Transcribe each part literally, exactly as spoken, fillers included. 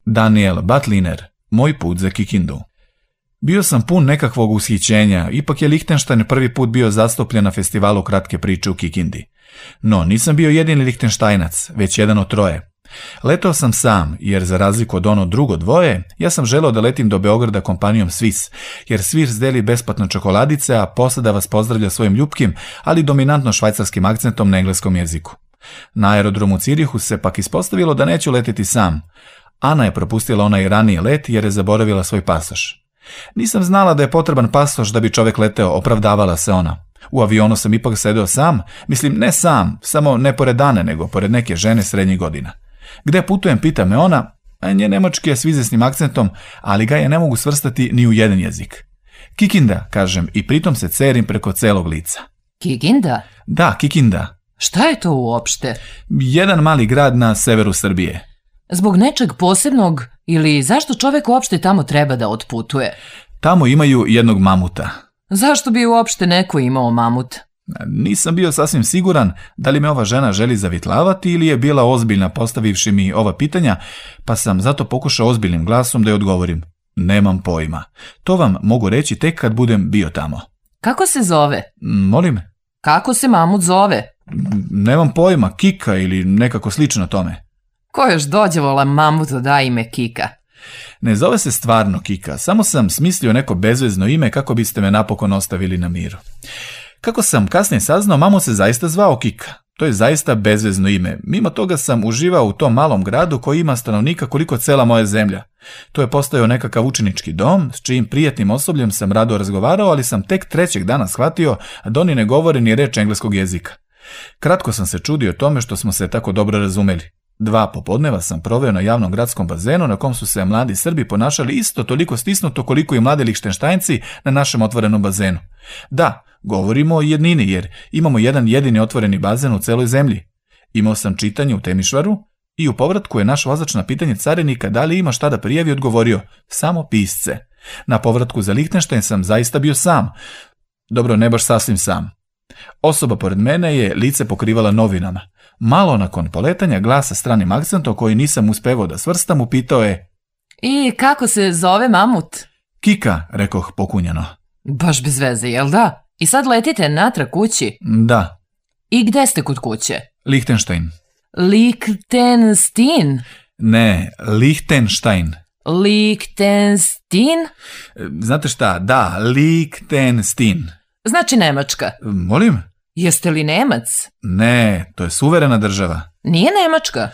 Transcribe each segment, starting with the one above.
Daniel Butliner, Moj put za Kikindu. Bio sam pun nekakvog ushićenja, ipak je Lihtenštajn prvi put bio zastupljen na festivalu kratke priče u Kikindi. No, nisam bio jedini Lihtenštajnac, već jedan od troje. Letao sam sam, jer za razliku od ono drugo dvoje, ja sam želeo da letim do Beograda kompanijom Swiss, jer Swiss deli besplatno čokoladice, a posada vas pozdravlja svojim ljupkim, ali dominantno švajcarskim akcentom na engleskom jeziku. Na aerodromu Cirihu se pak ispostavilo da neću leteti sam. Ana je propustila onaj raniji let jer je zaboravila svoj pasoš. Nisam znala da je potreban pasoš da bi čovjek leteo, opravdavala se ona. U avionu sam ipak sedeo sam, mislim ne sam, samo ne pored Ane, nego pored neke žene srednjih godina. Gde putujem, pita me ona, a nje nemački je s izvesnim akcentom, ali ga je ne mogu svrstati ni u jedan jezik. Kikinda, kažem, i pritom se cerim preko celog lica. Kikinda? Da, Kikinda. Šta je to uopšte? Jedan mali grad na severu Srbije. Zbog nečeg posebnog ili zašto čovjek uopšte tamo treba da otputuje? Tamo imaju jednog mamuta. Zašto bi uopšte neko imao mamut? Nisam bio sasvim siguran da li me ova žena želi zavitlavati ili je bila ozbiljna postavivši mi ova pitanja, pa sam zato pokušao ozbiljnim glasom da joj odgovorim. Nemam pojma. To vam mogu reći tek kad budem bio tamo. Kako se zove? Molim? Kako se mamut zove? Nemam pojma, Kika ili nekako slično tome. Ko još dođe vola mamutu da ime Kika? Ne zove se stvarno Kika, samo sam smislio neko bezvezno ime kako biste me napokon ostavili na miru. Kako sam kasnije saznao, mamut se zaista zvao Kika. To je zaista bezvezno ime. Mimo toga sam uživao u tom malom gradu koji ima stanovnika koliko cela moja zemlja. To je postojao nekakav učenički dom, s čijim prijatnim osobljem sam rado razgovarao, ali sam tek trećeg dana shvatio da oni ne govore ni reč engleskog jezika. Kratko sam se čudio tome što smo se tako dobro razumeli. Dva popodneva sam proveo na javnom gradskom bazenu na kom su se mladi Srbi ponašali isto toliko stisnuto koliko i mladi Lihtenštajnci na našem otvorenom bazenu. Da, govorimo o jednini jer imamo jedan jedini otvoreni bazen u celoj zemlji. Imao sam čitanje u Temišvaru i u povratku je naš vozač na pitanje carinika da li ima šta da prijavi odgovorio samo pisce. Na povratku za Lihtenštajn sam zaista bio sam. Dobro, ne baš sasvim sam. Osoba pored mene je lice pokrivala novinama. Malo nakon poletanja glasa stranim akcentom koji nisam uspevao da svrstam upitao je: I kako se zove mamut? Kika, rekoh pokunjano. Baš bez veze, jel da? I sad letite natrag kući? Da. I gde ste kod kuće? Lihtenštajn. Lichtenstein? Ne, Lihtenštajn. Lichtenstein? Znate šta, da, Lichtenstein. Znači Nemačka. Molim? Jeste li Nemac? Ne, to je suverena država. Nije Nemačka?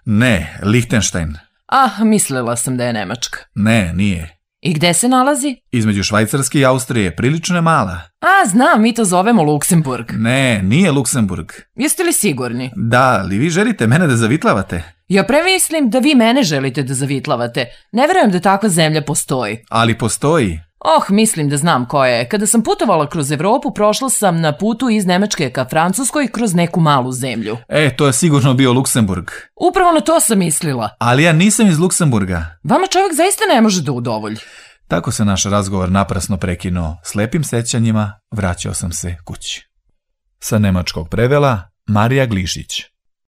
Ne, Lihtenštajn. Ah, mislila sam da je Nemačka. Ne, nije. I gde se nalazi? Između Švajcarske i Austrije, prilično je mala. A, znam, mi to zovemo Luksemburg. Ne, nije Luksemburg. Jeste li sigurni? Da, ali vi želite mene da zavitlavate? Ja premislim da vi mene želite da zavitlavate. Ne verujem da takva zemlja postoji. Ali postoji. Oh, mislim da znam koja je. Kada sam putovala kroz Evropu, prošla sam na putu iz Nemačke ka Francuskoj kroz neku malu zemlju. E, to je sigurno bio Luksemburg. Upravo na to sam mislila. Ali ja nisam iz Luksemburga. Vama čovjek zaista ne može da udovolji. Tako se naš razgovor naprasno prekinuo. S lepim sećanjima vraćao sam se kući. Sa nemačkog prevela Marija Glišić.